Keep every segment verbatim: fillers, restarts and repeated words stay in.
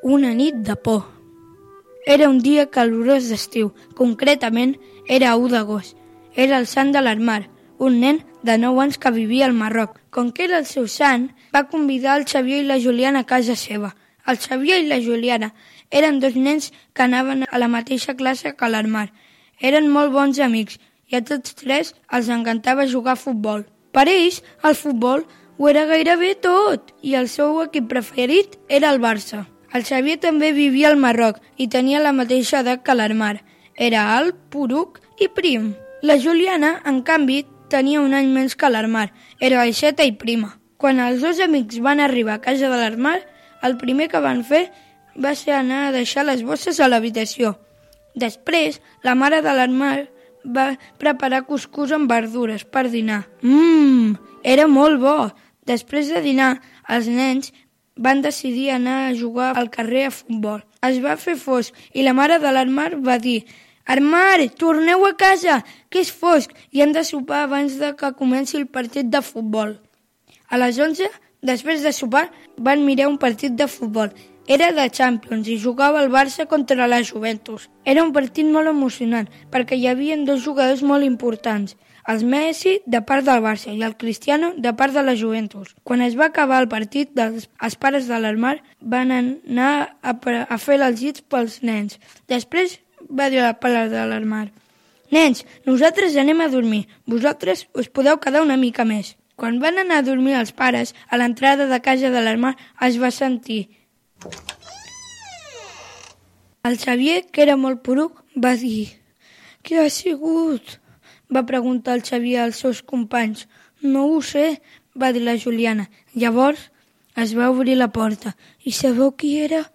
Una nit de por. Era un dia calorós d'estiu, concretament era u d'agost. Era el sant de l'Armar, un nen de nou anys que vivia al Marroc. Com que era el seu sant, va convidar el Xavier i la Juliana a casa seva. El Xavier i la Juliana eren dos nens que anaven a la mateixa classe que l'Armar. Eren molt bons amics i a tots tres els encantava jugar a futbol. Per ells, el futbol ho era gairebé tot i el seu equip preferit era el Barça. El Xavier també vivia al Marroc i tenia la mateixa edat que l'Armar. Era alt, poruc i prim. La Juliana, en canvi, tenia un any menys que l'Armar. Era baixeta i prima. Quan els dos amics van arribar a casa de l'Armar, el primer que van fer va ser anar a deixar les bosses a l'habitació. Després, la mare de l'Armar va preparar cuscús amb verdures per dinar. Mmm, era molt bo! Després de dinar, els nens van decidir anar a jugar al carrer a futbol. Es va fer fosc i la mare de l'Armar va dir: «Armar, torneu a casa, que és fosc i hem de sopar abans de que comenci el partit de futbol». A les onze, després de sopar, van mirar un partit de futbol. Era de Champions i jugava el Barça contra la Juventus. Era un partit molt emocionant perquè hi havia dos jugadors molt importants, el Messi de part del Barça i el Cristiano de part de la Juventus. Quan es va acabar el partit, els, els pares de l'Armar van anar a, a fer els llits pels nens. Després va dir la pare de l'Armar: «Nens, nosaltres anem a dormir. Vosaltres us podeu quedar una mica més». Quan van anar a dormir els pares, a l'entrada de casa de l'Armar es va sentir. El Xavier, que era molt poruc, va dir: «Què ha sigut?», va preguntar el Xavier als seus companys. «No ho sé», va dir la Juliana. Llavors es va obrir la porta. I sabeu qui era?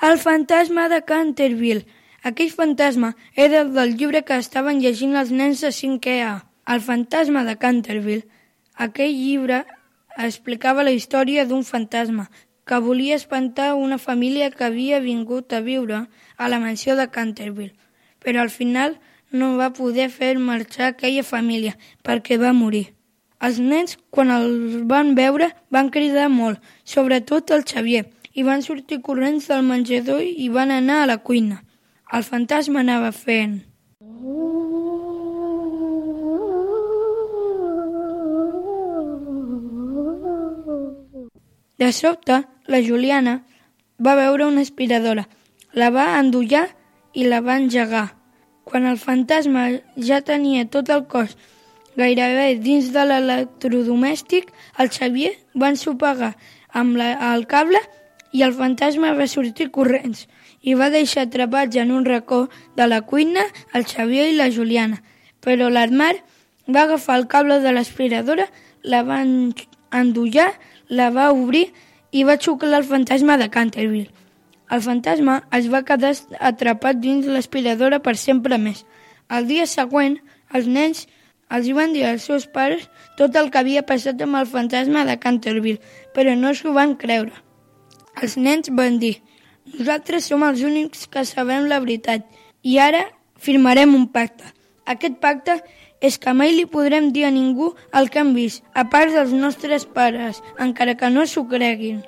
El fantasma de Canterville. Aquell fantasma era el del llibre que estaven llegint els nens de cinquè A. El fantasma de Canterville. Aquell llibre explicava la història d'un fantasma que volia espantar una família que havia vingut a viure a la mansió de Canterville, però al final no va poder fer marxar aquella família perquè va morir. Els nens, quan el van veure, van cridar molt, sobretot el Xavier, i van sortir corrents del menjador i van anar a la cuina. El fantasma anava fent... De sobte, la Juliana va veure una aspiradora, la va endollar i la va engegar. Quan el fantasma ja tenia tot el cos gairebé dins de l'electrodomèstic, el Xavier va ensopegar amb la, el cable i el fantasma va sortir corrents i va deixar atrapats en un racó de la cuina el Xavier i la Juliana. Però l'Armar va agafar el cable de l'aspiradora, la va endollar, la va obrir i va xuclar el fantasma de Canterville. El fantasma es va quedar atrapat dins l'aspiradora per sempre més. El dia següent, els nens els van dir als seus pares tot el que havia passat amb el fantasma de Canterville, però no s'ho van creure. Els nens van dir: «Nosaltres som els únics que sabem la veritat i ara firmarem un pacte. Aquest pacte és que mai li podrem dir a ningú el que hem vist, a part dels nostres pares, encara que no s'ho creguin».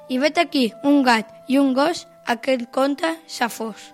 I vet aquí un gat i un gos, aquest conte s'ha fos.